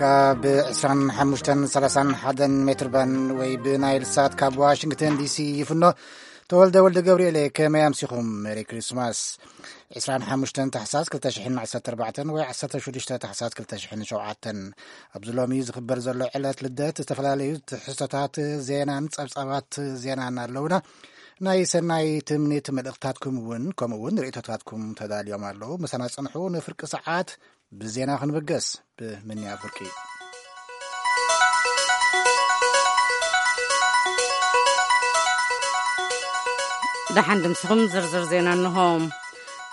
ካብ ዕስራን ሓሙሽተን ሰላሳን ሓደን ሜትር ባንድ ወይ ብናይል ሳት ካብ ዋሽንግተን ዲሲ ይፍኖ። ተወልደ ወልደ ገብርኤል፣ ከመይ ኣምሲኹም? ሜሪ ክሪስማስ። ዕስራን ሓሙሽተን ታሕሳስ ክልተ ሽሕን ዓሰርተ ኣርባዕተን ወይ ዓሰርተ ሽዱሽተ ታሕሳስ ክልተ ሽሕን ሸውዓተን፣ ኣብዚ ሎሚ ዝኽበር ዘሎ ዕለት ልደት፣ ዝተፈላለዩ ትሕዝቶታት ዜናን ጸብጻባት ዜናን ኣለውና። ናይ ሰናይ ትምኒት መልእኽታትኩም እውን፣ ከምኡ እውን ርእይቶታትኩም ተዳልዮም ኣለዉ። ምሳና ጽንሑ። ንፍርቂ ሰዓት ብዜና ክንብገስ ብምንያ ፍርቂ። ደሓን ድምስኹም። ዝርዝር ዜና እንሆ።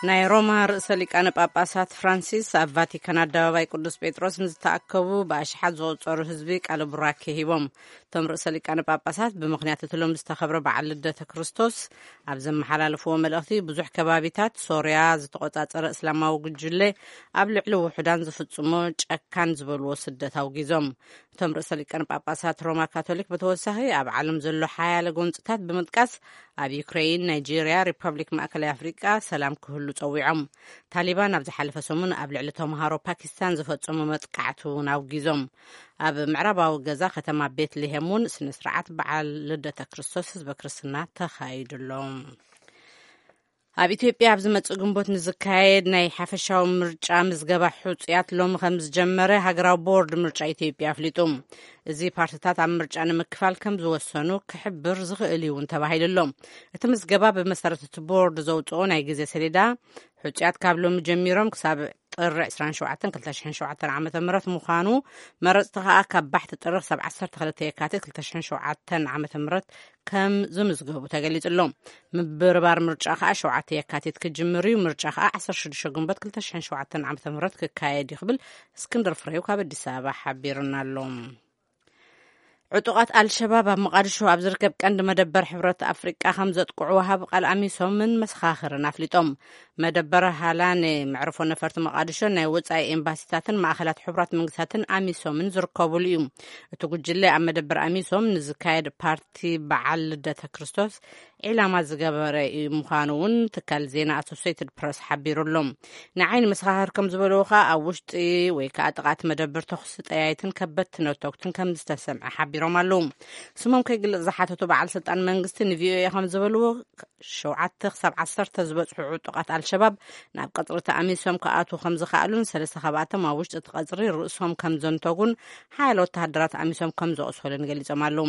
ናይ ሮማ ርእሰ ሊቃነ ጳጳሳት ፍራንሲስ ኣብ ቫቲካን ኣደባባይ ቅዱስ ጴጥሮስ ንዝተኣከቡ ብኣሽሓት ዝቑጸሩ ህዝቢ ቃለ ቡራኬ ሂቦም። እቶም ርእሰ ሊቃነ ጳጳሳት ብምኽንያት እቲ ሎም ዝተኸብረ በዓል ልደተ ክርስቶስ ኣብ ዘመሓላለፍዎ መልእኽቲ፣ ብዙሕ ከባቢታት ሶርያ ዝተቖጻጸረ እስላማዊ ጉጅለ ኣብ ልዕሊ ውሑዳን ዝፍጽሞ ጨካን ዝበልዎ ስደት ኣውጊዞም። እቶም ርእሰ ሊቃነ ጳጳሳት ሮማ ካቶሊክ ብተወሳኺ ኣብ ዓለም ዘሎ ሓያለ ጎንጽታት ብምጥቃስ፣ ኣብ ዩክሬን፣ ናይጄርያ፣ ሪፐብሊክ ማእከላይ ኣፍሪቃ ሰላም ክህሉ ጸዊዖም። ታሊባን ኣብ ዝሓለፈ ሰሙን ኣብ ልዕሊ ተምሃሮ ፓኪስታን ዝፈጸሙ መጥቃዕቲ እውን ኣውጊዞም። ኣብ ምዕራባዊ ገዛ ከተማ ቤትልሄም እውን ስነ ስርዓት በዓል ልደተ ክርስቶስ ህዝበ ክርስትና ተኻይዱሎም። ኣብ ኢትዮጵያ ኣብ ዝመጽእ ግንቦት ንዝካየድ ናይ ሓፈሻዊ ምርጫ ምዝገባ ሕጹያት ሎሚ ከም ዝጀመረ ሃገራዊ ቦርድ ምርጫ ኢትዮጵያ ኣፍሊጡ። እዚ ፓርቲታት ኣብ ምርጫ ንምክፋል ከም ዝወሰኑ ክሕብር ዝኽእል እዩ እውን ተባሂሉ ኣሎ። እቲ ምዝገባ ብመሰረት እቲ ቦርድ ዘውፅኦ ናይ ግዜ ሰሌዳ፣ ሕጹያት ካብ ሎሚ ጀሚሮም ክሳብ ጥሪ ዕስራን ሸውዓተን ክልተ ሽሕን ሸውዓተን ዓመተ ምህረት ምዃኑ፣ መረጽቲ ከኣ ካብ ባሕቲ ጥሪ ክሳብ ዓሰርተ ክልተ የካቲት ክልተ ሽሕን ሸውዓተን ዓመተ ምህረት ከም ዝምዝገቡ ተገሊጹ ኣሎ። ምብርባር ምርጫ ከኣ ሸውዓተ የካቲት ክጅምር እዩ። ምርጫ ከኣ ዓሰርተ ሽዱሽተ ግንቦት ክልተ ሽሕን ሸውዓተን ዓመተ ምህረት ክካየድ እዩ ክብል እስክንድር ፍሬው ካብ ኣዲስ ኣበባ ሓቢሩና ኣሎ። ዕጡቓት ኣልሸባብ ኣብ መቓድሾ ኣብ ዝርከብ ቀንዲ መደበር ሕብረት ኣፍሪቃ ከም ዘጥቅዑ ወሃቢ ቃል ኣሚሶምን መሰኻኽርን ኣፍሊጦም። መደበር ሃላኔ፣ መዕርፎ ነፈርቲ መቓድሾ፣ ናይ ወጻኢ ኤምባሲታትን ማእኸላት ሕቡራት መንግስታትን ኣሚሶምን ዝርከቡሉ እዩ። እቲ ጉጅለ ኣብ መደበር ኣሚሶም ንዝካየድ ፓርቲ በዓል ልደተ ክርስቶስ ዒላማ ዝገበረ እዩ ምዃኑ እውን ትካል ዜና ኣሶሴይትድ ፕረስ ሓቢሩ ኣሎ። ንዓይኒ መሰኻኽር ከም ዝበልዎ ከኣ፣ ኣብ ውሽጢ ወይ ከኣ ጥቓ እቲ መደበር ተኹሲ ጠያይትን ከበድቲ ነተጉትን ከም ዝተሰምዐ ሓቢሮም ኣለዉ። ስሞም ከይግለጽ ዝሓተቱ በዓል ስልጣን መንግስቲ ንቪኦኤ ከም ዝበልዎ፣ ሸውዓተ ክሳብ ዓሰርተ ዝበጽሑ ዕጡቓት ኣልሸባብ ናብ ቀጽሪ ተኣሚሶም ክኣትዉ ከም ዝኸኣሉን፣ ሰለስተ ካብኣቶም ኣብ ውሽጢ እቲ ቀጽሪ ርእሶም ከም ዘንተጉን ሓያለ ወተሃደራት ኣሚሶም ከም ዘቑሰሉን ገሊጾም ኣለዉ።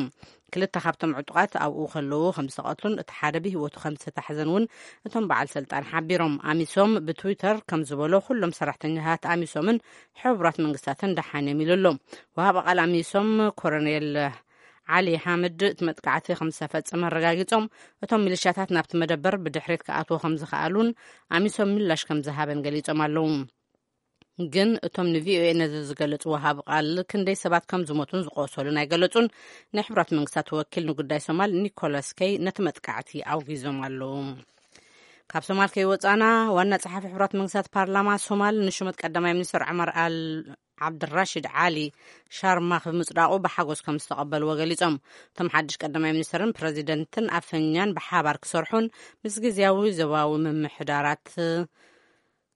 ክልተ ካብቶም ዕጡቓት ኣብኡ ከለዉ ከም ዝተቐትሉን እቲ ሓደ ብህይወቱ ከም ዝተታሕዘን እውን እቶም በዓል ስልጣን ሓቢሮም። ኣሚሶም ብትዊተር ከም ዝበሎ፣ ኩሎም ሰራሕተኛታት ኣሚሶምን ሕቡራት መንግስታትን ደሓን እዮም ኢሉ ኣሎ። ወሃቢ ቃል ኣሚሶም ኮሎኔል ዓሊ ሓምድ እቲ መጥቃዕቲ ከም ዝተፈጸመ ኣረጋጊጾም፣ እቶም ሚሊሻታት ናብቲ መደበር ብድሕሪት ክኣትዉ ከም ዝኸኣሉን ኣሚሶም ምላሽ ከም ዝሃበን ገሊጾም ኣለዉ። ግን እቶም ንቪኦኤ ነዚ ዝገለጹ ወሃቢ ቃል ክንደይ ሰባት ከም ዝሞቱን ዝቆሰሉን ኣይገለጹን። ናይ ሕቡራት መንግስታት ወኪል ንጉዳይ ሶማል ኒኮላስ ከይ ነቲ መጥቃዕቲ ኣውጊዞም ኣለዉ። ካብ ሶማል ከይወጻና፣ ዋና ጸሓፊ ሕቡራት መንግስታት ፓርላማ ሶማል ንሹመት ቀዳማይ ሚኒስትር ዑመር ኣል ዓብድራሽድ ዓሊ ሻርማኽ ብምጽዳቑ ብሓጎስ ከም ዝተቐበልዎ ገሊጾም። እቶም ሓድሽ ቀዳማይ ሚኒስትርን ፕረዚደንትን ኣፈኛን ብሓባር ክሰርሑን ምስ ግዝያዊ ዞባዊ ምምሕዳራት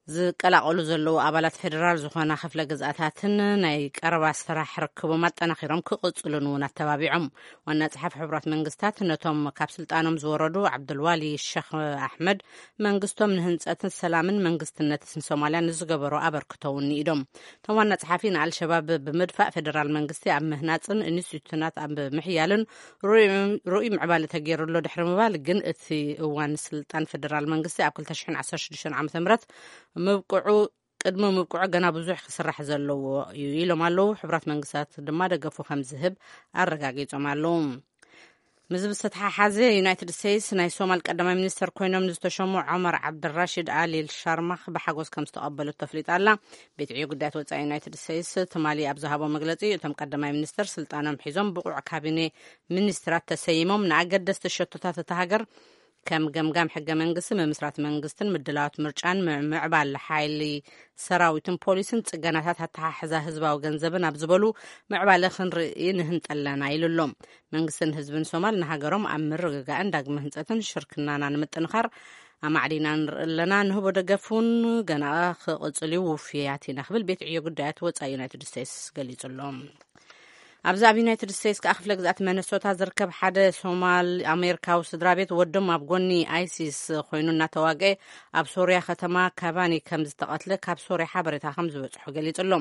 ዝቀላቐሉ ዘለዉ ኣባላት ፌደራል ዝኾና ክፍለ ግዝኣታትን ናይ ቀረባ ስራሕ ርክቦም ኣጠናኺሮም ክቕጽሉን እውን ኣተባቢዖም። ዋና ጸሓፊ ሕቡራት መንግስታት ነቶም ካብ ስልጣኖም ዝወረዱ ዓብዱልዋሊ ሸኽ ኣሕመድ መንግስቶም ንህንጸትን ሰላምን መንግስትነትን ሶማልያ ንዝገበሮ ኣበርክቶ እውን ንኢዶም። እቶም ዋና ጸሓፊ ንኣልሸባብ ብምድፋእ ፌደራል መንግስቲ ኣብ ምህናጽን ኢንስቲትዩሽናት ኣብ ምሕያልን ርኡይ፣ ርኡይ ምዕባለ ተገይሩ ኣሎ ድሕሪ ምባል፣ ግን እቲ እዋን ስልጣን ፌደራል መንግስቲ ኣብ ክልተ ሽሕን ዓሰርተ ሽዱሽተን ዓመተ ምህረት ምብቅዑ፣ ቅድሚ ምብቅዑ ገና ብዙሕ ክስራሕ ዘለዎ እዩ ኢሎም ኣለዉ። ሕቡራት መንግስታት ድማ ደገፉ ከም ዝህብ ኣረጋጊጾም ኣለዉ። ምስዚ ብዝተተሓሓዘ፣ ዩናይትድ ስቴትስ ናይ ሶማል ቀዳማይ ሚኒስተር ኮይኖም ንዝተሸሙ ዖመር ዓብድራሽድ ኣሊ ሻርማኽ ብሓጎስ ከም ዝተቐበሉት ተፍሊጣ ኣላ። ቤት ዕዮ ጉዳያት ወጻኢ ዩናይትድ ስቴትስ ትማሊ ኣብ ዝሃቦ መግለጺ፣ እቶም ቀዳማይ ሚኒስተር ስልጣኖም ሒዞም ብቑዕ ካቢኔ ሚኒስትራት ተሰይሞም ንኣገደስቲ ሸቶታት እታ ሃገር ከም ገምጋም ሕገ መንግስቲ፣ ምምስራት መንግስትን ምድላዋት ምርጫን፣ ምዕባለ ሓይሊ ሰራዊትን ፖሊስን፣ ጽገናታት ኣተሓሕዛ ህዝባዊ ገንዘብን ኣብ ዝበሉ ምዕባለ ክንርኢ ንህንጠለና ኢሉ ኣሎ። መንግስትን ህዝብን ሶማል ንሃገሮም ኣብ ምርግጋእን ዳግመ ህንጸትን ሽርክናና ንምጥንኻር ኣማዕዲና ንርኢ ኣለና። ንህቦ ደገፍ እውን ገና ክቕጽል እዩ፣ ውፍያት ኢና ክብል ቤት ዕዮ ጉዳያት ወጻኢ ዩናይትድ ስቴትስ ገሊጹ ኣሎ። ኣብዚ ኣብ ዩናይትድ ስቴትስ ከኣ ክፍለ ግዝኣት መነሶታ ዝርከብ ሓደ ሶማል ኣሜሪካዊ ስድራ ቤት ወዶም ኣብ ጎኒ ኣይሲስ ኮይኑ እናተዋግአ ኣብ ሶርያ ከተማ ካባኒ ከም ዝተቐትለ ካብ ሶርያ ሓበሬታ ከም ዝበጽሖ ገሊጹ ኣሎ።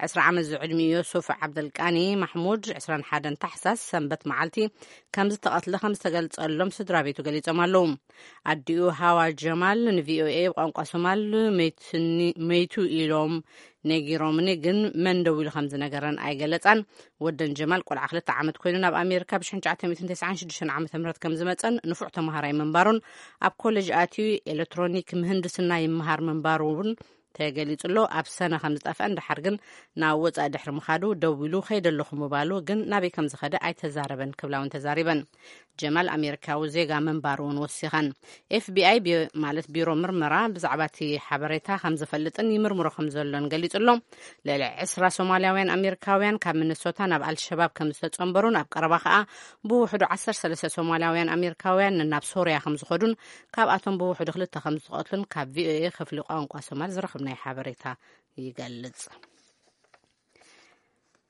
ዕስራ ዓመት ዝዕድሚኡ ዮሱፍ ዓብደልቃኒ ማሕሙድ ዕስራን ሓደን ታሕሳስ ሰንበት መዓልቲ ከም ዝተቐትለ ከም ዝተገልጸሎም ስድራ ቤቱ ገሊጾም ኣለዉ። ኣዲኡ ሃዋ ጀማል ንቪኦኤ ብቋንቋ ሶማል መይትኒ- መይቱ ኢሎም ነጊሮምኒ፣ ግን መን ደው ኢሉ ከም ዝነገረን ኣይገለጻን። ወደን ጀማል ቆልዓ ክልተ ዓመት ኮይኑ ናብ ኣሜሪካ ብ ሽሕን ትሽዓተ ሚእትን ተስዓን ሽዱሽተን ዓመተ ምህረት ከም ዝመጸን ንፉዕ ተምሃራይ ምንባሩን ኣብ ኮሌጅ ኣትዩ ኤሌክትሮኒክ ምህንድስና ይመሃር ምንባሩ እውን ተገሊጹ ኣሎ። ኣብ ሰነ ከም ዝጠፍአን ድሓር ግን ናብ ወጻኢ ድሕሪ ምኻዱ ደው ኢሉ ከይደ ኣለኹ ምባሉ ግን ናበይ ከም ዝኸደ ኣይተዛረበን ክብላ እውን ተዛሪበን። ጀማል ኣሜሪካዊ ዜጋ ምንባሩ እውን ወሲኸን። ኤፍቢኣይ ቢ- ማለት ቢሮ ምርመራ ብዛዕባ እቲ ሓበሬታ ከም ዝፈልጥን ይምርምሮ ከም ዘሎን ገሊጹ ኣሎ። ልዕሊ ዕስራ ሶማልያውያን ኣሜሪካውያን ካብ ሚነሶታ ናብ ኣልሸባብ ከም ዝተጸንበሩን ኣብ ቀረባ ከኣ ብውሕዱ ዓሰርተ ሰለስተ ሶማልያውያን ኣሜሪካውያን ናብ ሶርያ ከም ዝኸዱን ካብኣቶም ብውሕዱ ክልተ ከም ዝተቐትሉን ካብ ቪኦኤ ክፍሊ ቋንቋ ሶማል ዝረኸብናዮ ሓበሬታ ይገልጽ።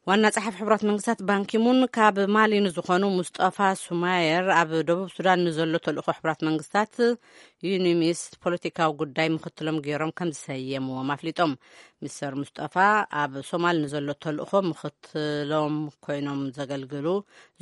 ዋና ጸሓፊ ሕቡራት መንግስታት ባንኪሙን ካብ ማሊ ንዝኾኑ ሙስጠፋ ሱማየር ኣብ ደቡብ ሱዳን ንዘሎ ተልእኾ ሕቡራት መንግስታት ዩኒሚስ ፖለቲካዊ ጉዳይ ምኽትሎም ገይሮም ከም ዝሰየምዎም ኣፍሊጦም። ሚስተር ሙስጠፋ ኣብ ሶማል ንዘሎ ተልእኾ ምኽትሎም ኮይኖም ዘገልግሉ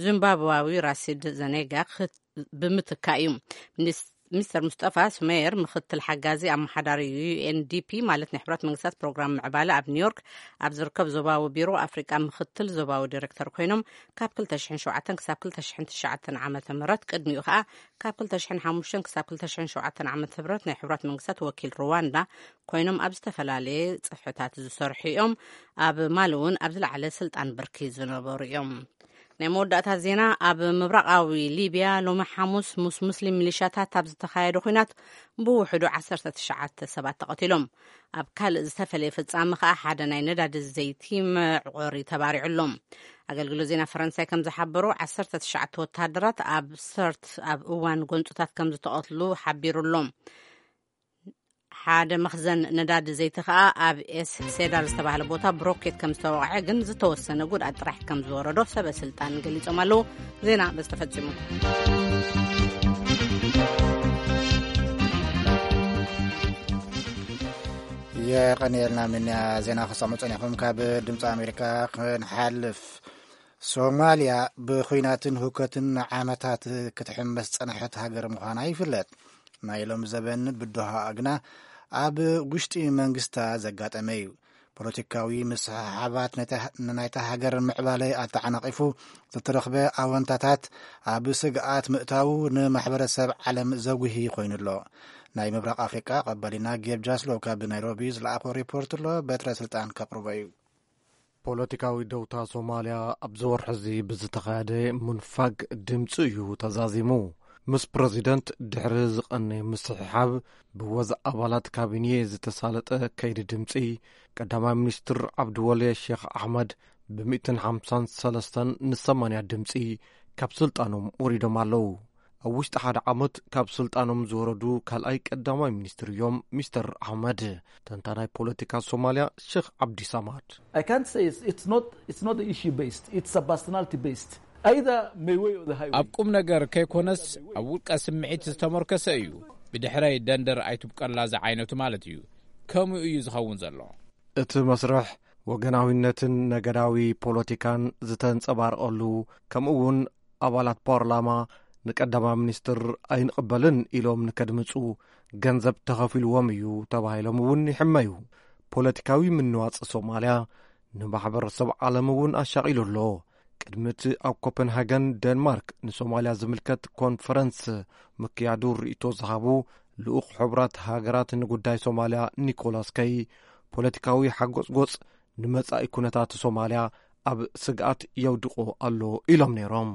ዚምባብዋዊ ራሲድ ዘኔጋ ክት- ብምትካእ እዩ። ሚኒስ- ሚስተር ሙስጠፋ ሱሜየር ምኽትል ሓጋዚ ኣመሓዳሪ ዩ ኤን ዲ ፒ ማለት ናይ ሕብረት መንግስታት ፕሮግራም ምዕባለ ኣብ ኒውዮርክ ኣብ ዝርከብ ዞባዊ ቢሮ ኣፍሪቃ ምኽትል ዞባዊ ዲሬክተር ኮይኖም ካብ ክልተ ሽሕን ሸውዓተን ክሳብ ክልተ ሽሕን ትሽዓተን ዓመተ ምህረት፣ ቅድሚኡ ከኣ ካብ ክልተ ሽሕን ሓሙሽተን ክሳብ ክልተ ሽሕን ሸውዓተን ዓመተ ምህረት ናይ ሕብረት መንግስታት ወኪል ሩዋንዳ ኮይኖም ኣብ ዝተፈላለየ ጽፍሕታት ዝሰርሑ እዮም። ኣብ ማሊ እውን ኣብ ዝለዓለ ስልጣን ብርኪ ዝነበሩ እዮም። ናይ መወዳእታ ዜና። ኣብ ምብራቓዊ ሊብያ ሎሚ ሓሙስ ምስ ሙስሊም ሚሊሻታት ኣብ ዝተኻየደ ኲናት ብውሕዱ ዓሰርተ ትሽዓተ ሰባት ተቐቲሎም። ኣብ ካልእ ዝተፈለየ ፍጻመ ከኣ ሓደ ናይ ነዳዲ ዘይቲ መዕቆሪ ተባሪዑ ኣሎ። ኣገልግሎት ዜና ፈረንሳይ ከም ዝሓበሮ ዓሰርተ ትሽዓተ ወተሃደራት ኣብ ሰርት ኣብ እዋን ጎንጽታት ከም ዝተቐትሉ ሓቢሩ ኣሎ። ሓደ መኽዘን ነዳዲ ዘይቲ ከኣ ኣብ ኤስ ሴዳር ዝተባህለ ቦታ ብሮኬት ከም ዝተወቕዐ ግን ዝተወሰነ ጉድኣት ጥራሕ ከም ዝወረዶ ሰበ ስልጣን ገሊጾም ኣለዉ። ዜና በዚ ተፈጺሙ። የቐንየልና ምንያ ዜና ክሰሙ ጸኒኹም። ካብ ድምፂ ኣሜሪካ ክንሓልፍ፣ ሶማልያ ብኹናትን ሁከትን ንዓመታት ክትሕመስ ዝጸንሐት ሃገር ምዃና ይፍለጥ። ናይ ሎሚ ዘበን ብድሆኣ ግና ኣብ ውሽጢ መንግስታ ዘጋጠመ እዩ። ፖለቲካዊ ምስሕሓባት ነታ- ንናይታ ሃገር ምዕባለ ኣተዓናቒፉ ዝተረኽበ ኣወንታታት ኣብ ስግኣት ምእታዉ ንማሕበረሰብ ዓለም ዘጉሂ ኮይኑ ኣሎ። ናይ ምብራቕ ኣፍሪቃ ቀባሊና ጌብ ጃስሎ ካብ ናይሮቢ ዝለኣኾ ሪፖርት ኣሎ። በትረ ስልጣን ከቕርቦ እዩ። ፖለቲካዊ ደውታ ሶማልያ ኣብዚ ወርሒ እዚ ብዝተኻየደ ምንፋግ ድምፂ እዩ ተዛዚሙ። ምስ ፕረዚደንት ድሕሪ ዝቐነየ ምስሕሓብ ብወዝ ኣባላት ካቢኔ ዝተሳለጠ ከይዲ ድምፂ፣ ቀዳማይ ሚኒስትር ዓብድወሌ ሼኽ ኣሕመድ ብሚእትን ሓምሳን ሰለስተን ንሰማንያ ድምፂ ካብ ስልጣኖም ወሪዶም ኣለዉ። ኣብ ውሽጢ ሓደ ዓመት ካብ ስልጣኖም ዝወረዱ ካልኣይ ቀዳማይ ሚኒስትር እዮም ሚስተር ኣሕመድ። ተንታናይ ፖለቲካ ሶማልያ ሼኽ ዓብዲ ሳማድ። I can't say it's, it's not, it's not issue based, it's a personality based. Either my way or the highway. ኣብ ቁም ነገር ከይኮነስ ኣብ ውልቀ ስምዒት ዝተመርኮሰ እዩ። ብድሕረይ ደንደር ኣይትብቀላ ዝዓይነቱ ማለት እዩ። ከምኡ እዩ ዝኸውን ዘሎ። እቲ መስርሕ ወገናዊነትን ነገዳዊ ፖለቲካን ዝተንጸባረቐሉ፣ ከምኡ እውን ኣባላት ፓርላማ ንቀዳማይ ሚኒስትር ኣይንቕበልን ኢሎም ንከድምጹ ገንዘብ ተኸፊልዎም እዩ ተባሂሎም እውን ይሕመዩ። ፖለቲካዊ ምንዋጽ ሶማልያ ንማሕበረሰብ ዓለም እውን ኣሻቒሉ ኣሎ። ቅድሚ እቲ ኣብ ኮፐንሃገን ደንማርክ ንሶማልያ ዝምልከት ኮንፈረንስ ምክያዱ ርእይቶ ዝሃቡ ልኡኽ ሕቡራት ሃገራት ንጉዳይ ሶማልያ ኒኮላስ ከይ፣ ፖለቲካዊ ሓጎጽጎጽ ንመጻኢ ኩነታት ሶማልያ ኣብ ስግኣት የውድቖ ኣሎ ኢሎም ነይሮም።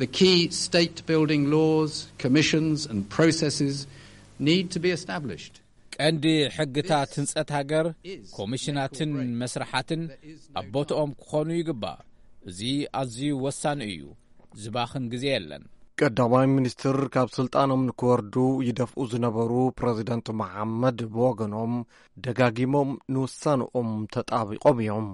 The key state building laws, commissions, and processes need to be established. ቀንዲ ሕግታት ህንጸት ሃገር፣ ኮሚሽናትን መስርሓትን ኣብ ቦትኦም ክኾኑ ይግባእ። እዚ ኣዝዩ ወሳኒ እዩ። ዝባኽን ግዜ የለን። ቀዳማይ ሚኒስትር ካብ ስልጣኖም ንክወርዱ ይደፍኡ ዝነበሩ ፕረዚደንት መሓመድ ብወገኖም ደጋጊሞም ንውሳንኦም ተጣቢቖም እዮም።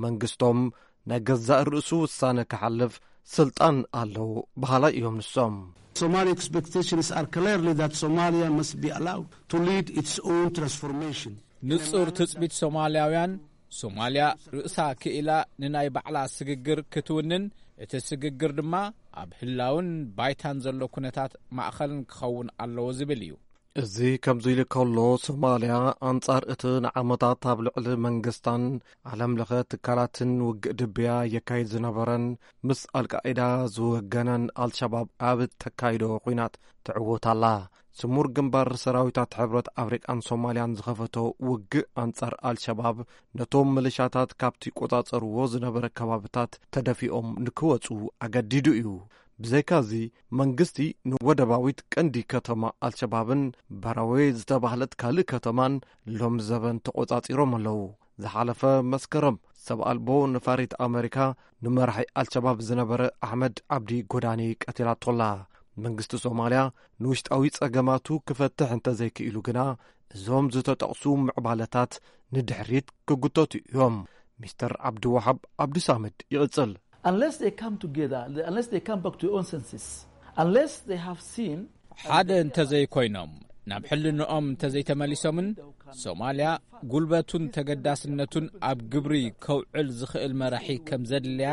መንግስቶም ናይ ገዛእ ርእሱ ውሳነ ክሓልፍ ስልጣን ኣለዎ በሃላይ እዮም ንሶም። Somali expectations are clearly that Somalia must be allowed to lead its own transformation. ንጹር ትጽቢት ሶማልያውያን፣ ሶማልያ ርእሳ ክኢላ ንናይ ባዕላ ስግግር ክትውንን፣ እቲ ስግግር ድማ ኣብ ህላውን ባይታን ዘሎ ኩነታት ማእኸልን ክኸውን ኣለዎ ዝብል እዩ። እዚ ከምዚ ኢሉ ከሎ፣ ሶማልያ ኣንጻር እቲ ንዓመታት ኣብ ልዕሊ መንግስታን ዓለም ለኸ ትካላትን ውግእ ድብያ የካይድ ዝነበረን ምስ ኣልቃዒዳ ዝወገነን ኣልሸባብ ኣብ ተካይዶ ኲናት ትዕወት ኣላ። ስሙር ግንባር ሰራዊታት ሕብረት ኣፍሪቃን ሶማልያን ዝኸፈቶ ውግእ ኣንጻር ኣልሸባብ፣ ነቶም ምልሻታት ካብቲ ቆጻጸርዎ ዝነበረ ከባብታት ተደፊኦም ንክወጹ ኣገዲዱ እዩ። ብዘይካዚ፣ መንግስቲ ንወደባዊት ቀንዲ ከተማ ኣልሸባብን በራዌ ዝተባህለት ካልእ ከተማን ሎምዘበን ተቆጻጺሮም ኣለዉ። ዝሓለፈ መስከረም፣ ሰብ ኣልቦ ነፋሪት ኣመሪካ ንመራሒ ኣልሸባብ ዝነበረ ኣሕመድ ዓብዲ ጎዳኒ ቀቲላቶላ። መንግስቲ ሶማልያ ንውሽጣዊ ጸገማቱ ክፈትሕ እንተዘይክኢሉ ግና፣ እዞም ዝተጠቕሱ ምዕባለታት ንድሕሪት ክጉተቱ እዮም። ሚስተር ዓብዲ ወሃብ ዓብዲ ሳምድ ይቕጽል። Unless they come together, unless they come back to your own senses, unless they have seen ሓደ እንተዘይኮይኖም፣ ናብ ሕልንኦም እንተዘይተመሊሶምን፣ ሶማልያ ጉልበቱን ተገዳስነቱን ኣብ ግብሪ ከውዕል ዝኽእል መራሒ ከም ዘድልያ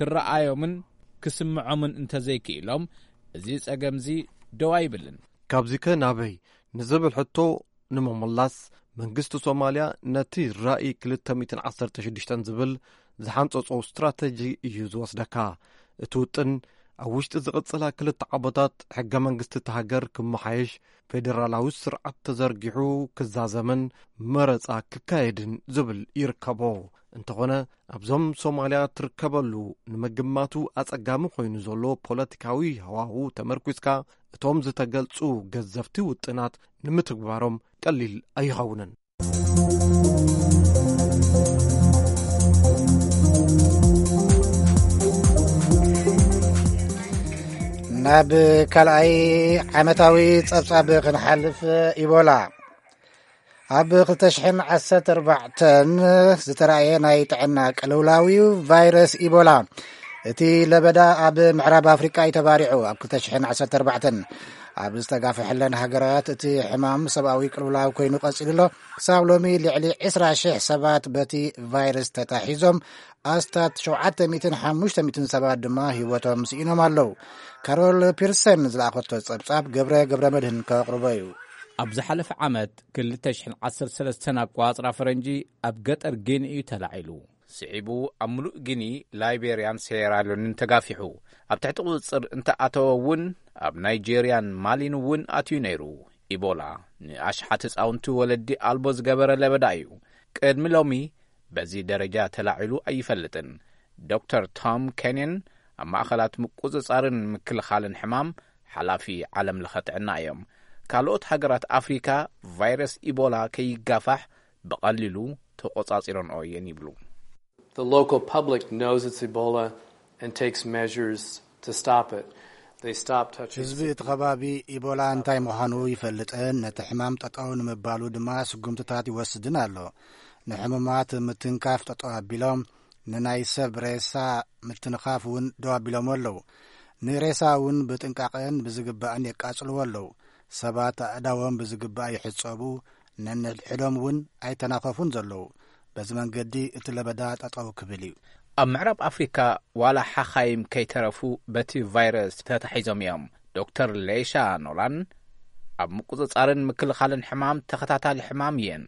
ክረኣዮምን ክስምዖምን እንተዘይክኢሎም፣ እዚ ጸገምዚ ደው ኣይብልን። ካብዚከ ናበይ ንዝብል ሕቶ ንምምላስ፣ መንግስቲ ሶማልያ ነቲ ራኢ ክልተ ሚእትን ዓሰርተ ሽዱሽተን ዝብል ዝሓንጸጾ ስትራተጂ እዩ ዝወስደካ። እቲ ውጥን፣ ኣብ ውሽጢ ዝቕጽላ ክልተ ዓመታት ሕገ መንግስቲ እታ ሃገር ክመሓየሽ፣ ፌደራላዊ ስርዓት ተዘርጊሑ ክዛዘምን መረጻ ክካየድን ዝብል ይርከቦ። እንተኾነ፣ ኣብዞም ሶማልያ ትርከበሉ ንምግማቱ ኣጸጋሚ ኮይኑ ዘሎ ፖለቲካዊ ሃዋሁ ተመርኲስካ፣ እቶም ዝተገልጹ ገዘፍቲ ውጥናት ንምትግባሮም ቀሊል ኣይኸውንን። ናብ ካልኣይ ዓመታዊ ጸብጻብ ክንሓልፍ፣ ኢቦላ ኣብ ክልተ ሽሕን ዓሰርተ ኣርባዕተን ዝተራእየ ናይ ጥዕና ቅልውላው እዩ ቫይረስ ኢቦላ። እቲ ለበዳ ኣብ ምዕራብ ኣፍሪቃ እዩ ተባሪዑ። ኣብ ክልተ ሽሕን ዓሰርተ ኣርባዕተን ኣብ ዝተጋፍሐለን ሃገራት እቲ ሕማም ሰብኣዊ ቅልውላው ኮይኑ ቀጺሉ ኣሎ። ክሳብ ሎሚ ልዕሊ ዕስራ ሽሕ ሰባት በቲ ቫይረስ ተታሒዞም፣ ኣስታት ሸውዓተ ሚእትን ሓሙሽተ ሚእትን ሰባት ድማ ህይወቶም ስኢኖም ኣለዉ። ካሮል ፒርሰን ዝለኣኸቶ ጸብጻብ ገብረ ገብረ መድህን ከቕርቦ እዩ። ኣብ ዝሓለፈ ዓመት ክልተ ሽሕን ዓሰርተ ሰለስተን ኣቆጻጽራ ፈረንጂ ኣብ ገጠር ጊኒ እዩ ተላዒሉ። ስዒቡ ኣብ ምሉእ ጊኒ፣ ላይቤርያን ሴራልዮንን ተጋፊሑ። ኣብ ትሕቲ ቁጽጽር እንተኣተወ እውን፣ ኣብ ናይጄርያን ማሊን እውን ኣትዩ ነይሩ። ኢቦላ ንኣሽሓት ህጻውንቲ ወለዲ ኣልቦ ዝገበረ ለበዳ እዩ። ቅድሚ ሎሚ በዚ ደረጃ ተላዒሉ ኣይፈልጥን። ዶክተር ቶም ኬንዮን ኣብ ማእኸላት ምቁጽጻርን ምክልኻልን ሕማም ሓላፊ ዓለም ለኸ ጥዕና እዮም። ካልኦት ሃገራት ኣፍሪካ ቫይረስ ኢቦላ ከይጋፋሕ ብቐሊሉ ተቖጻጺረንኦ እየን ይብሉ። The local public knows it's Ebola and takes measures to stop it. They stop touching ህዝቢ እቲ ከባቢ ኢቦላ እንታይ ምዃኑ ይፈልጥን ነቲ ሕማም ጠጠው ንምባሉ ድማ ስጉምትታት ይወስድን ኣሎ። ንሕሙማት ምትንካፍ ጠጠው ኣቢሎም፣ ንናይ ሰብ ሬሳ ምትንኻፍ እውን ደው ኣቢሎም ኣለዉ። ንሬሳ እውን ብጥንቃቐን ብዝግባእን የቃጽልዎ ኣለዉ። ሰባት ኣእዳዎም ብዝግባእ ይሕጸቡ፣ ነንሕድሕዶም እውን ኣይተናኸፉን ዘለዉ። በዚ መንገዲ እቲ ለበዳ ጠጠው ክብል እዩ። ኣብ ምዕራብ ኣፍሪካ ዋላ ሓኻይም ከይተረፉ በቲ ቫይረስ ተታሒዞም እዮም። ዶክተር ሌሻ ኖላን ኣብ ምቁጽጻርን ምክልኻልን ሕማም ተኸታታሊ ሕማም እየን።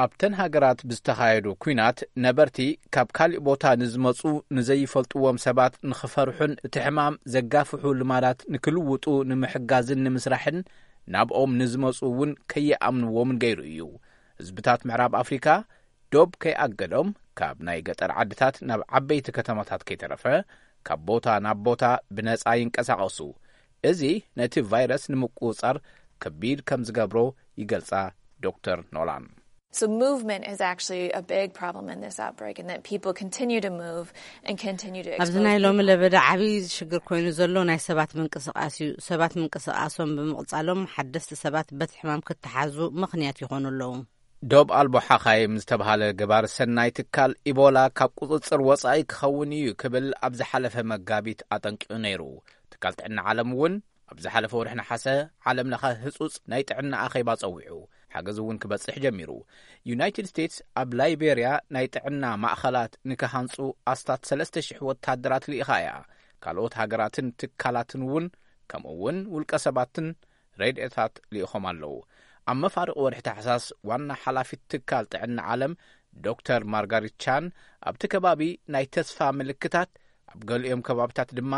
ኣብተን ሃገራት ብዝተኻየዱ ኲናት ነበርቲ ካብ ካሊእ ቦታ ንዝመጹ ንዘይፈልጥዎም ሰባት ንኽፈርሑን እቲ ሕማም ዘጋፍሑ ልማዳት ንክልውጡ ንምሕጋዝን ንምስራሕን ናብኦም ንዝመጹ እውን ከይኣምንዎምን ገይሩ እዩ። ህዝብታት ምዕራብ ኣፍሪካ ዶብ ከይኣገዶም ካብ ናይ ገጠር ዓድታት ናብ ዓበይቲ ከተማታት ከይተረፈ ካብ ቦታ ናብ ቦታ ብነጻ ይንቀሳቐሱ። እዚ ነቲ ቫይረስ ንምቁጽጻር ከቢድ ከም ዝገብሮ ይገልጻ ዶክተር ኖላን። So movement is actually a big problem in this outbreak, and that people continue to move and continue to ኣብዚ ናይ ሎሚ ለበዳ ዓብዪ ሽግር ኮይኑ ዘሎ ናይ ሰባት ምንቅስቃስ እዩ። ሰባት ምንቅስቃሶም ብምቕጻሎም ሓደስቲ ሰባት በቲ ሕማም ክተሓዙ ምኽንያት ይኾኑ ኣለዉ። ዶብ ኣልቦ ሓኻይም ዝተብሃለ ገባር ሰናይ ትካል ኢቦላ ካብ ቁጽጽር ወጻኢ ክኸውን እዩ ክብል ኣብ ዝሓለፈ መጋቢት ኣጠንቂቑ ነይሩ። ትካል ጥዕና ዓለም እውን ኣብ ዝሓለፈ ወርሒ ነሓሰ ዓለም ለኸ ህጹጽ ናይ ጥዕና ኣኼባ ጸዊዑ፣ ሓገዝ እውን ክበጽሕ ጀሚሩ። ዩናይትድ ስቴትስ ኣብ ላይቤርያ ናይ ጥዕና ማእኸላት ንክሃንጹ ኣስታት ሰለስተ ሽሕ ወታደራት ልኢኻ እያ። ካልኦት ሃገራትን ትካላትን እውን፣ ከምኡ እውን ውልቀ ሰባትን ረድኤታት ልኢኾም ኣለዉ። ኣብ መፋርቕ ወርሒ ታሕሳስ ዋና ሓላፊት ትካል ጥዕና ዓለም ዶክተር ማርጋሪት ቻን ኣብቲ ከባቢ ናይ ተስፋ ምልክታት፣ ኣብ ገሊኦም ከባብታት ድማ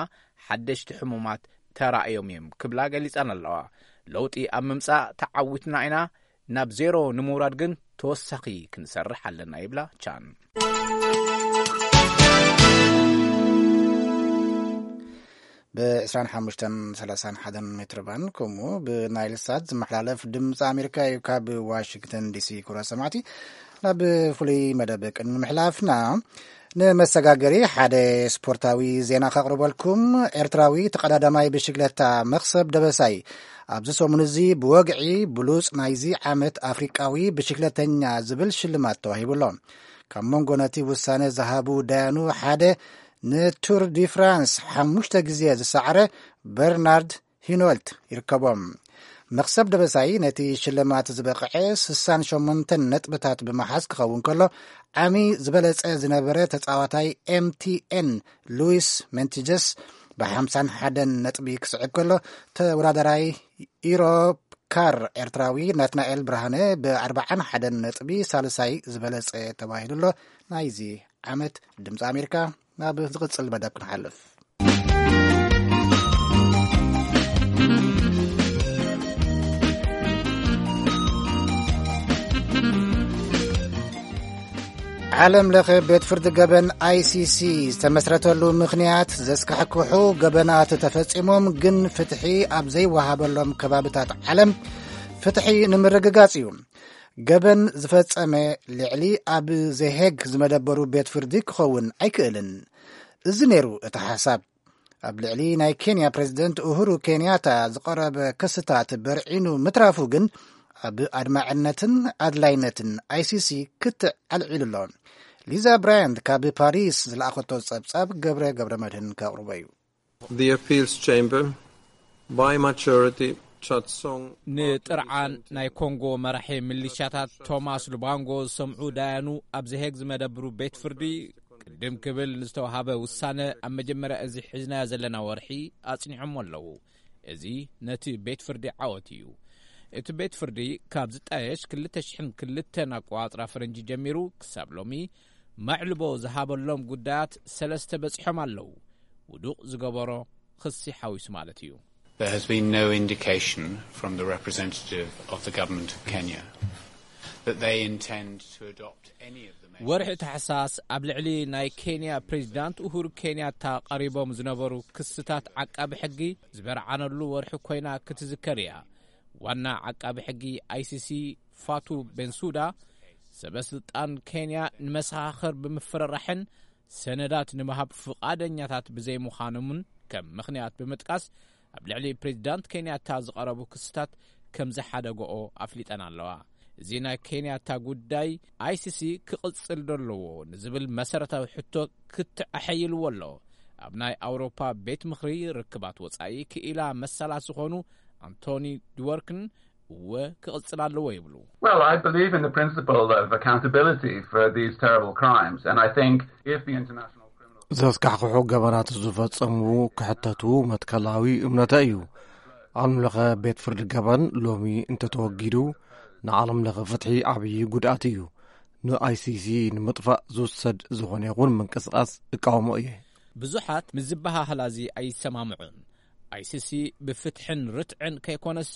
ሓደሽቲ ሕሙማት ተራእዮም እዮም ክብላ ገሊጸን ኣለዋ። ለውጢ ኣብ ምምጻእ ተዓዊትና ኢና፣ ናብ ዜሮ ንምውራድ ግን ተወሳኺ ክንሰርሕ ኣለና ይብላ ቻን። ብ25ን 31 ሜትር ባንድ ከምኡ ብናይል ሳት ዝመሓላለፍ ድምፂ ኣሜሪካ እዩ። ካብ ዋሽንግተን ዲሲ ክቡራት ሰማዕቲ፣ ናብ ፍሉይ መደብ ቅድሚ ምሕላፍና ንመሰጋገሪ ሓደ ስፖርታዊ ዜና ከቕርበልኩም። ኤርትራዊ ተቐዳዳማይ ብሽግለታ መኽሰብ ደበሳይ ኣብዚ ሰሙን እዚ ብወግዒ ብሉጽ ናይዚ ዓመት ኣፍሪቃዊ ብሽግለተኛ ዝብል ሽልማት ተዋሂቡ ኣሎ። ካብ መንጎ ነቲ ውሳነ ዝሃቡ ዳያኑ ሓደ ንቱር ዲ ፍራንስ ሓሙሽተ ግዜ ዝሰዓረ በርናርድ ሂኖልት ይርከቦም። መኽሰብ ደበሳይ ነቲ ሽልማት ዝበቕዐ ስሳን ሸሞንተን ነጥብታት ብምሓዝ ክኸውን ከሎ፣ ዓሚ ዝበለጸ ዝነበረ ተጻዋታይ ኤምቲኤን ሉዊስ ሜንቲጀስ ብ51 ነጥቢ ክስዕብ ከሎ፣ ተወዳዳራይ ኢሮፕ ካር ኤርትራዊ ናትናኤል ብርሃነ ብ41 ነጥቢ ሳልሳይ ዝበለጸ ተባሂሉ ኣሎ። ናይዚ ዓመት ድምፂ ኣሜሪካ። ናብ ዝቕጽል መደብ ክንሓልፍ። ዓለም ለኸ ቤት ፍርዲ ገበን ኣይሲሲ ዝተመስረተሉ ምኽንያት ዘስካሕክሑ ገበናት ተፈጺሞም ግን ፍትሒ ኣብ ዘይወሃበሎም ከባብታት ዓለም ፍትሒ ንምርግጋጽ እዩ። ገበን ዝፈጸመ ልዕሊ ኣብ ዘሄግ ዝመደበሩ ቤት ፍርዲ ክኸውን ኣይክእልን። እዚ ነይሩ እቲ ሓሳብ። ኣብ ልዕሊ ናይ ኬንያ ፕሬዝደንት ኡሁሩ ኬንያታ ዝቐረበ ክስታት በርዒኑ ምትራፉ ግን ኣብ ኣድማዕነትን ኣድላይነትን ኣይሲሲ ክትዕ ኣልዒሉ ኣሎ። ሊዛ ብራያንት ካብ ፓሪስ ዝለኣኸቶ ጸብጻብ ገብረ ገብረ መድህን ከቕርቦ እዩ። The Appeals Chamber, by majority, Chatsong ንጥርዓን ናይ ኮንጎ መራሒ ሚሊሻታት ቶማስ ሉባንጎ ዝሰምዑ ዳያኑ ኣብ ዘሄግ ዝመደብሩ ቤት ፍርዲ ቅድም ክብል ንዝተዋሃበ ውሳነ ኣብ መጀመርያ እዚ ሒዝናዮ ዘለና ወርሒ ኣጽኒዖሞ ኣለዉ። እዚ ነቲ ቤት ፍርዲ ዓወት እዩ። እቲ ቤት ፍርዲ ካብ ዝጣየሽ ክልተ ሽሕን ክልተን ኣቆጻጽራ ፈረንጂ ጀሚሩ ክሳብ ሎሚ መዕልቦ ዝሃበሎም ጉዳያት ሰለስተ በጺሖም ኣለዉ። ውዱቕ ዝገበሮ ክሲ ሓዊሱ ማለት እዩ። There has been no indication from the representative of the government of Kenya that they intend to adopt any of the measures. ወርሒ ታሕሳስ ኣብ ልዕሊ ናይ ኬንያ ፕሬዚዳንት ኡሁሩ ኬንያታ ቀሪቦም ዝነበሩ ክስታት ዓቃቢ ሕጊ ዝበርዓነሉ ወርሒ ኮይና ክትዝከር እያ። ዋና ዓቃቢ ሕጊ ኣይሲሲ ፋቱ ቤንሱዳ ሰበ ስልጣን ኬንያ ንመሰኻኽር ብምፍርራሕን ሰነዳት ንምሃብ ፍቓደኛታት ብዘይምዃኖምን ከም ምኽንያት ብምጥቃስ ኣብ ልዕሊ ፕሬዚዳንት ኬንያታ ዝቐረቡ ክስታት ከም ዝሓደገኦ ኣፍሊጠን ኣለዋ። እዚ ናይ ኬንያታ ጉዳይ ኣይሲሲ ክቕጽል ዶ ኣለዎ ንዝብል መሰረታዊ ሕቶ ክትዕ ኣሐይልዎ ኣሎ። ኣብ ናይ ኣውሮፓ ቤት ምኽሪ ርክባት ወጻኢ ክኢላ መሰላት ዝኾኑ ኣንቶኒ ድወርክን እወ ክቕጽል ኣለዎ ይብሉ። Well, I believe in the principle of accountability for these terrible crimes, and I think if the international criminal ዘስካሕክሑ ገበናት ዝፈጸሙ ክሕተቱ መትከላዊ እምነተ እዩ። ዓለም ለኸ ቤት ፍርዲ ገበን ሎሚ እንተተወጊዱ ንዓለም ለኸ ፍትሒ ዓብዪ ጉድኣት እዩ። ንኣይሲሲ ንምጥፋእ ዝውሰድ ዝኾነ ይኹን ምንቅስቓስ እቃወሞ እየ። ብዙሓት ምስ ዝበሃህላ እዚ ኣይሰማምዑን። ኣይሲሲ ብፍትሕን ርትዕን ከይኮነስ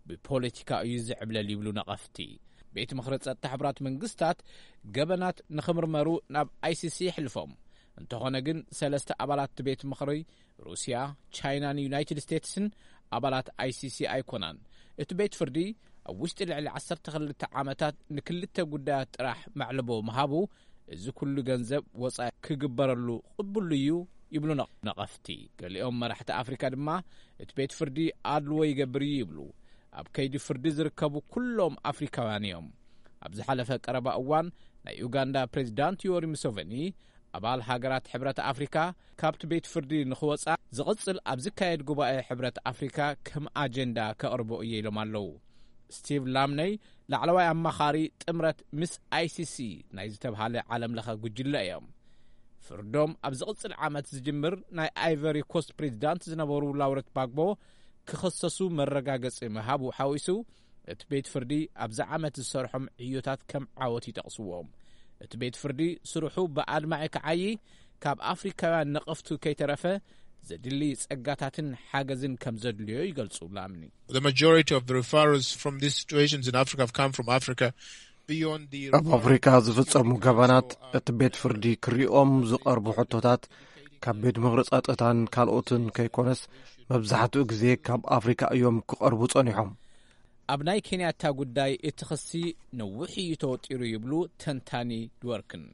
ብፖለቲካ እዩ ዝዕብለል ይብሉ ነቐፍቲ። ቤት ምኽሪ ጸጥታ ሕቡራት መንግስታት ገበናት ንኽምርመሩ ናብ ኣይሲሲ የሕልፎም። እንተኾነ ግን፣ ሰለስተ ኣባላት እቲ ቤት ምኽሪ፣ ሩስያ፣ ቻይናን ዩናይትድ ስቴትስን፣ ኣባላት ኣይሲሲ ኣይኮናን። እቲ ቤት ፍርዲ ኣብ ውሽጢ ልዕሊ ዓሰርተ ክልተ ዓመታት ንክልተ ጉዳያት ጥራሕ መዕልቦ ምሃቡ፣ እዚ ኩሉ ገንዘብ ወጻኢ ክግበረሉ ቅቡል እዩ ይብሉ ነቕ-፣ ነቐፍቲ። ገሊኦም መራሕቲ ኣፍሪካ ድማ፣ እቲ ቤት ፍርዲ ኣድልዎ ይገብር እዩ ይብሉ። ኣብ ከይዲ ፍርዲ ዝርከቡ ኩሎም ኣፍሪካውያን እዮም። ኣብ ዝሓለፈ ቀረባ እዋን፣ ናይ ኡጋንዳ ፕሬዚዳንት ዮወሪ ሙሴቨኒ፣ ኣባል ሃገራት ሕብረት ኣፍሪካ ካብቲ ቤት ፍርዲ ንኽወጻ ዝቕጽል ኣብ ዝካየድ ጉባኤ ሕብረት ኣፍሪካ ከም ኣጀንዳ ከቕርቦ እየ ኢሎም ኣለዉ። ስቲቭ ላምነይ፣ ላዕለዋይ ኣማኻሪ ጥምረት ምስ ኣይሲሲ ናይ ዝተብሃለ ዓለም ለኸ ጉጅለ እዮም። ፍርዶም ኣብ ዝቕጽል ዓመት ዝጅምር፣ ናይ ኣይቨሪ ኮስት ፕሬዚዳንት ዝነበሩ ላውረንት ባግቦ ክኸሰሱ መረጋገጺ ምሃቡ ሓዊሱ፣ እቲ ቤት ፍርዲ ኣብዚ ዓመት ዝሰርሖም ዕዮታት ከም ዓወት ይጠቕስዎም። እቲ ቤት ፍርዲ ስርሑ ብኣድማዒ ክዓዪ፣ ካብ ኣፍሪካውያን ነቐፍቱ ከይተረፈ ዘድሊ ጸጋታትን ሓገዝን ከም ዘድልዮ ይገልጹ ላምኒ። The majority of the referrals from these situations in Africa have come from Africa beyond the ኣብ ኣፍሪካ ዝፍጸሙ ገበናት እቲ ቤት ፍርዲ ክሪኦም ዝቐርቡ ሕቶታት ካብ ቤት ምኽሪ ጸጥታን ካልኦትን ከይኮነስ፣ መብዛሕትኡ ግዜ ካብ ኣፍሪካ እዮም ክቐርቡ ጸኒሖም። ኣብ ናይ ኬንያታ ጉዳይ እቲ ክሲ ነዊሕ እዩ ተወጢሩ ይብሉ ተንታኒ ድወርክን።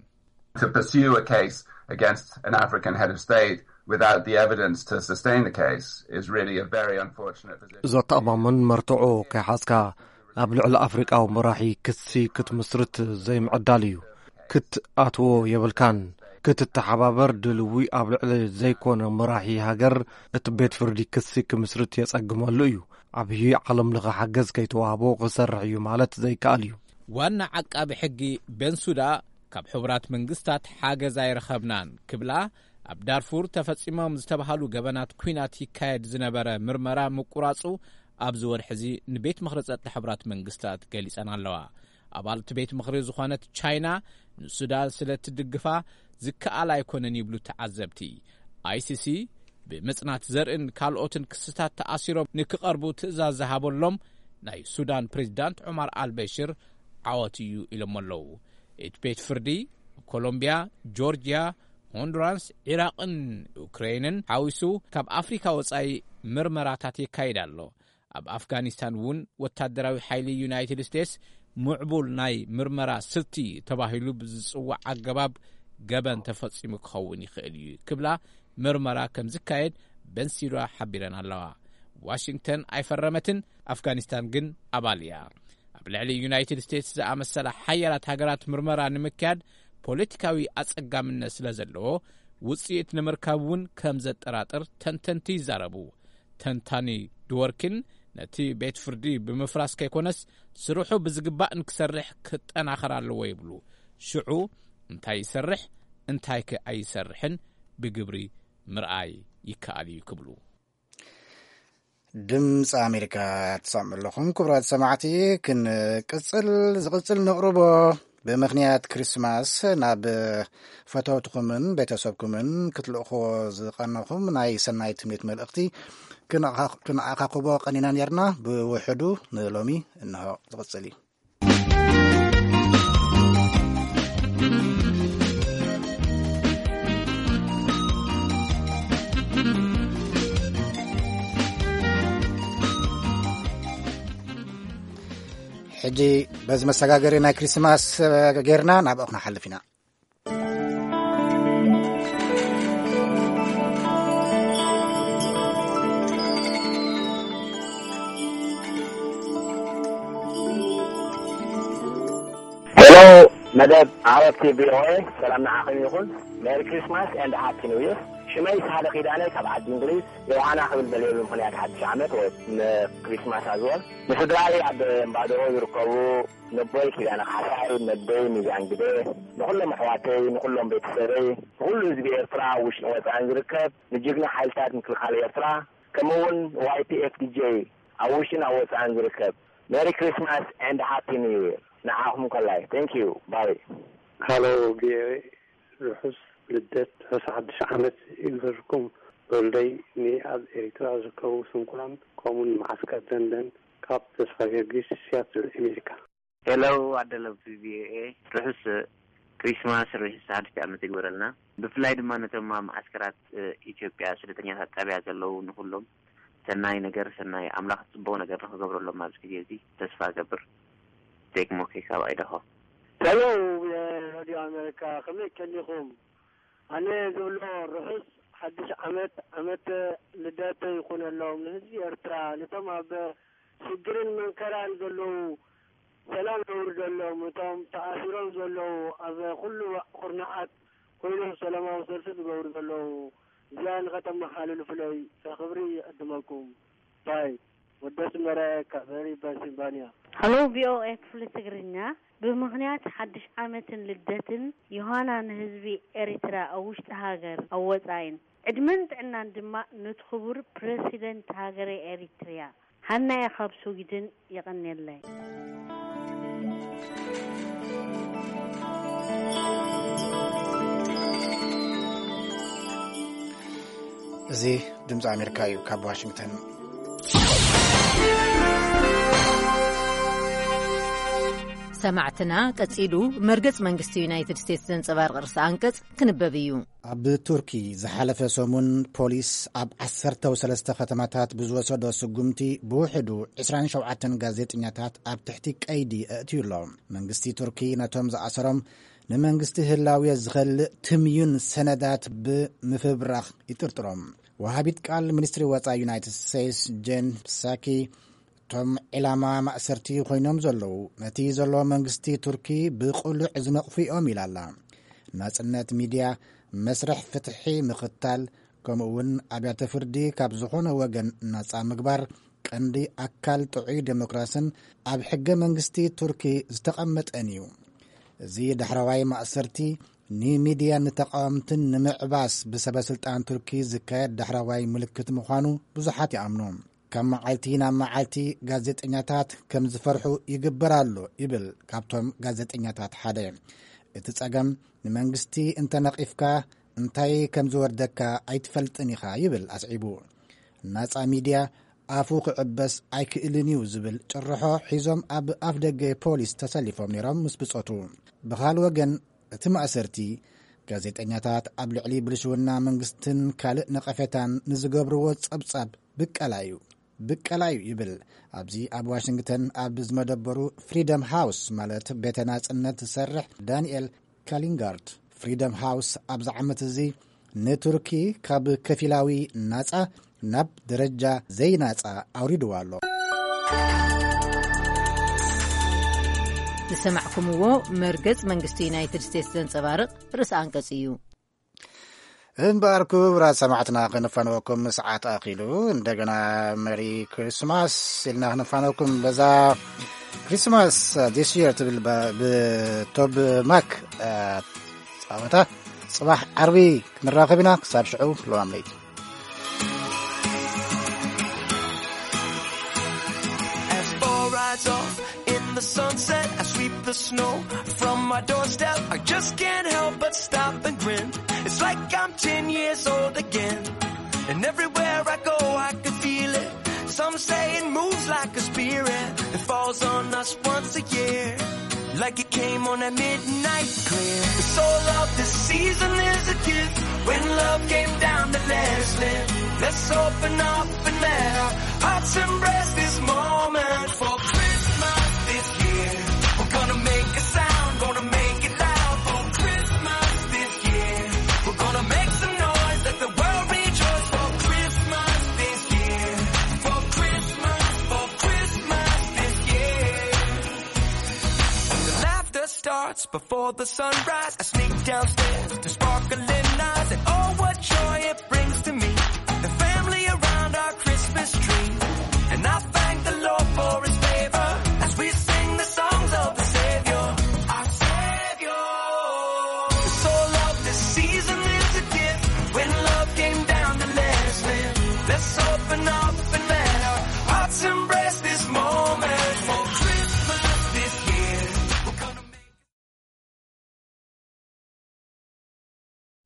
To pursue a case against an African head of state without the evidence to sustain the case is really a very unfortunate position. ዘተኣማምን መርትዖ ከይሓዝካ ኣብ ልዕሊ ኣፍሪቃዊ መራሒ ክሲ ክትምስርት ዘይምዕዳል እዩ። ክትኣትዎ የብልካን። ክትተሓባበር ድልዊ ኣብ ልዕሊ ዘይኮነ መራሒ ሃገር እቲ ቤት ፍርዲ ክሲ ክምስርት የጸግመሉ እዩ። ዓብዪ ዓለም ለኸ ሓገዝ ከይተዋህቦ ክሰርሕ እዩ ማለት ዘይከኣል እዩ። ዋና ዓቃቢ ሕጊ ቤንሱዳ፣ ካብ ሕቡራት መንግስታት ሓገዝ ኣይረኸብናን ክብላ፣ ኣብ ዳርፉር ተፈጺሞም ዝተባሃሉ ገበናት ኲናት ይካየድ ዝነበረ ምርመራ ምቁራጹ ኣብዚ ወርሒ እዚ ንቤት ምኽሪ ጸጥታ ሕቡራት መንግስታት ገሊጸን ኣለዋ። ኣባልቲ ቤት ምኽሪ ዝኾነት ቻይና ንሱዳን ስለ ትድግፋ ዝከኣል ኣይኮነን ይብሉ ተዓዘብቲ። ኣይሲሲ ብምጽናት ዘርእን ካልኦትን ክስታት ተኣሲሮም ንክቐርቡ ትእዛዝ ዝሃበሎም ናይ ሱዳን ፕሬዚዳንት ዑማር ኣልበሽር ዓወት እዩ ኢሎም ኣለዉ። እቲ ቤት ፍርዲ ኣብ ኮሎምቢያ፣ ጆርጅያ፣ ሆንዱራስ፣ ዒራቕን ዩክሬንን ሓዊሱ ካብ ኣፍሪካ ወጻኢ ምርመራታት የካይድ ኣሎ። ኣብ ኣፍጋኒስታን እውን ወታደራዊ ሓይሊ ዩናይትድ ስቴትስ ምዕቡል ናይ ምርመራ ስልቲ ተባሂሉ ብዝጽዋዕ ኣገባብ ገበን ተፈጺሙ ክኸውን ይኽእል እዩ ክብላ ምርመራ ከም ዝካየድ በንሲራ ሓቢረን ኣለዋ። ዋሽንግተን ኣይፈረመትን፣ ኣፍጋኒስታን ግን ኣባል እያ። ኣብ ልዕሊ ዩናይትድ ስቴትስ ዝኣመሰላ ሓያላት ሃገራት ምርመራ ንምክያድ ፖለቲካዊ ኣጸጋምነት ስለ ዘለዎ፣ ውጽኢት ንምርካብ እውን ከም ዘጠራጥር ተንተንቲ ይዛረቡ። ተንታኒ ድወርኪን፣ ነቲ ቤት ፍርዲ ብምፍራስ ከይኮነስ፣ ስርሑ ብዝግባእ ንክሰርሕ ክጠናኸር ኣለዎ ይብሉ። ሽዑ እንታይ ይሰርሕ፣ እንታይ ከ ኣይሰርሕን ብግብሪ ምርኣይ ይከኣል እዩ ክብሉ። ድምፂ ኣሜሪካ ትሰምዑ ኣለኹም። ክቡራት ሰማዕቲ፣ ክንቅፅል፣ ዝቕፅል ነቕርቦ፣ ብምኽንያት ክሪስማስ ናብ ፈተውትኹምን ቤተሰብኩምን ክትልእኽዎ ዝቐነኹም ናይ ሰናይ ትምኒት መልእኽቲ ክንኣኻ-፣ ክንኣኻኽቦ ቀኒና ነርና። ብውሕዱ ንሎሚ እንሆ ዝቕፅል እዩ። ሕጂ በዚ መሰጋገሪ ናይ ክሪስማስ ጌርና ናብኡ ክንሓልፍ ኢና። ሄሎ፣ መደብ ዓረብቲ ቪኦኤ፣ ሰላም ንዓኹም ይኹን። ሜሪ ክሪስማስ ኤንድ ሃፒ ኒው ይር። ሽመይ ሳህለ ኪዳነ ካብ ዓዲ እንግሊዝ፣ ዮሃና ክብል ደልየ ብምኽንያት ሓድሽ ዓመት ወይ ንክሪስማስ ኣዝወል። ንስድራይ ኣብ እምባደሮ ዝርከቡ፣ ነቦይ ኪዳነ ካሕሳይ፣ ነደይ ሚዛን ግደ፣ ንኹሎም ኣሕዋተይ፣ ንኹሎም ቤተሰበይ፣ ንኹሉ ህዝቢ ኤርትራ፣ ውሽጥን ወጻእን ዝርከብ፣ ንጅግና ሓይልታት ምክልኻል ኤርትራ፣ ከምኡ እውን ዋይ ፒ ኤፍ ዲ ጄ፣ ኣብ ውሽጥን ኣብ ወጻእን ዝርከብ፣ ሜሪ ክሪስማስ ኤንድ ሃፒ ኒው ይር ንዓኹም ከላይ። ቴንክ ዩ። ባይ። ሃሎ ቪኦኤ፣ ርሑስ ልደት፣ ርሑስ ሓድሽ ዓመት ይግበርኩም። ወልደይ፣ ንኣብ ኤሪትራ ዝርከቡ ስንኩላን፣ ከምኡውን መዓስከር ደንደን፣ ካብ ተስፋ ጊዮርጊስ፣ ሲያትል፣ ኣሜሪካ። ሄሎ፣ ኣደለብቲ ቪኦኤ፣ ርሑስ ክሪስማስ ርሑስ ሓድሽ ዓመት ይግበረልና። ብፍላይ ድማ ነቶም ኣብ መዓስከራት፣ እ፣ ኢትዮጵያ ስደተኛታት ጣብያ ዘለዉ ንኹሎም ሰናይ ነገር፣ ሰናይ ኣምላኽ ጽቡቕ ነገር ንኽገብረሎም ኣብዚ ግዜ እዚ ተስፋ እገብር። ቴክሞኬ ካብ ኣይዳሆ። ሄሎ፣ የሬድዮ ኣሜሪካ፣ ከመይ ቀኒኹም? ኣነ ዝብሎ፣ ርሑስ ሓድሽ ዓመት፣ ዓመት ልደት ይኹነሎም ንህዝቢ ኤርትራ፣ ነቶም ኣብ ሽግርን መንከራን ዘለዉ ሰላም የውርደሎም፣ እቶም ተኣሲሮም ዘለዉ ኣብ ኩሉ ኩርናዓት ኮይኖም ሰላማዊ ሰልፊ ዝገብሩ ዘለዉ፣ እዚኣ ንኸተመሓልልፉለይ ብኽብሪ ይዕድመኩም። ባይ፣ ወዲ ኣስመረ ካብ ሪቨር ፔንሲልቫኒያ። ሃሎ፣ ቪ ኦ ኤ ክፍሊ ትግርኛ። ብምኽንያት ሓድሽ ዓመትን ልደትን ዮሃና ንህዝቢ ኤሪትራ ኣብ ውሽጢ ሃገር ኣብ ወጻኢን ዕድመን ጥዕናን ድማ ነቲ ክቡር ፕረሲደንት ሃገረ ኤሪትርያ ሃናየ ካብ ስዊድን የቐንየለይ። እዚ ድምፂ ኣሜሪካ እዩ። ካብ ዋሽንግተን ሰማዕትና፣ ቀጺሉ መርገጽ መንግስቲ ዩናይትድ ስቴትስ ዘንጸባርቕ ርእሰ ኣንቀጽ ክንበብ እዩ። ኣብ ቱርኪ ዝሓለፈ ሰሙን ፖሊስ ኣብ ዓሰርተ ሰለስተ ከተማታት ብዝወሰዶ ስጉምቲ ብውሕዱ ዕስራን ሸውዓተን ጋዜጠኛታት ኣብ ትሕቲ ቀይዲ ኣእትዩ ኣሎ። መንግስቲ ቱርኪ ነቶም ዝኣሰሮም ንመንግስቲ ህላዌ ዝኸልእ ትምዩን ሰነዳት ብምፍብራኽ ይጥርጥሮም። ወሃቢት ቃል ሚኒስትሪ ወጻኢ ዩናይትድ ስቴትስ ጄን ሳኪ፣ እቶም ዒላማ ማእሰርቲ ኮይኖም ዘለዉ፣ ነቲ ዘሎ መንግስቲ ቱርኪ ብቕሉዕ ዝነቕፉ እዮም ኢላ ኣላ። ናጽነት ሚድያ፣ መስርሕ ፍትሒ ምኽታል፣ ከምኡ እውን ኣብያተ ፍርዲ ካብ ዝኾነ ወገን ናጻ ምግባር ቀንዲ ኣካል ጥዑይ ዴሞክራስን ኣብ ሕገ መንግስቲ ቱርኪ ዝተቐመጠን እዩ። እዚ ዳሕረዋይ ማእሰርቲ ንሚድያን ንተቓወምትን ንምዕባስ ብሰበ ስልጣን ቱርኪ ዝካየድ ዳሕረዋይ ምልክት ምዃኑ ብዙሓት ይኣምኑ። ካብ መዓልቲ ናብ መዓልቲ ጋዜጠኛታት ከም ዝፈርሑ ይግበር ኣሎ ይብል ካብቶም ጋዜጠኛታት ሓደ። እቲ ጸገም ንመንግስቲ እንተነቒፍካ እንታይ ከም ዝወርደካ ኣይትፈልጥን ኢኻ ይብል ኣስዒቡ። ናጻ ሚድያ ኣፉ ክዕበስ ኣይክእልን እዩ ዝብል ጭርሖ ሒዞም ኣብ ኣፍ ደገ ፖሊስ ተሰሊፎም ነይሮም ምስ ብጾቱ። ብኻል ወገን እቲ ማእሰርቲ ጋዜጠኛታት ኣብ ልዕሊ ብልሽውና መንግስትን ካልእ ነቐፌታን ንዝገብርዎ ጸብጻብ ብቀላ እዩ፣ ብቀላ እዩ ይብል ኣብዚ ኣብ ዋሽንግተን ኣብ ዝመደበሩ ፍሪደም ሃውስ ማለት ቤተ ናጽነት ዝሰርሕ ዳንኤል ካሊንጋርድ። ፍሪደም ሃውስ ኣብዚ ዓመት እዚ ንቱርኪ ካብ ከፊላዊ ናጻ ናብ ደረጃ ዘይናጻ ኣውሪድዋ ኣሎ። ዝሰማዕኩምዎ መርገጽ መንግስቲ ዩናይትድ ስቴትስ ዘንጸባርቕ ርእሲ ኣንቀጽ እዩ። እምበኣር ክቡራት ሰማዕትና፣ ክንፋነወኩም ሰዓት ኣኺሉ። እንደገና መሪ ክሪስማስ ኢልና ክንፋነወኩም በዛ ክሪስማስ ዲስ የር ትብል ብ-፣ ብቶብ ማክ፣ እ፣ ጻወታ። ጽባሕ ዓርቢ ክንራኸብ ኢና። ክሳብ ሽዑ ለዋም ለይቲ። As fall rides off in the sunset, I sweep the snow from my doorstep. I just can't help but stop and grin. It's like I'm ten years old again. And everywhere I go, I can feel it. Some say it moves like a spirit that falls on us once a year. Like it came on a midnight clear. It's all of this season is a gift. When love came down to let us live, let's open up and let our hearts embrace this moment. For Christmas this year, we're gonna make a sound, gonna make it loud. For Christmas this year, we're gonna make some noise, let the world rejoice. For Christmas this year, for Christmas, for Christmas this year. And the laughter starts before the sunrise. I sneak downstairs to sparkling eyes and oh, what joy it brings to me. The family around our Christmas tree. And I thank the Lord for his favor as we sing the songs of the Savior. Our Savior. The soul of this season is a gift. When love came down to let us live. Let's open up and let our hearts embrace this moment. For Christmas this year, we're gonna make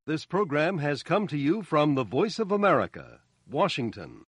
This program has come to you from the Voice of America, Washington.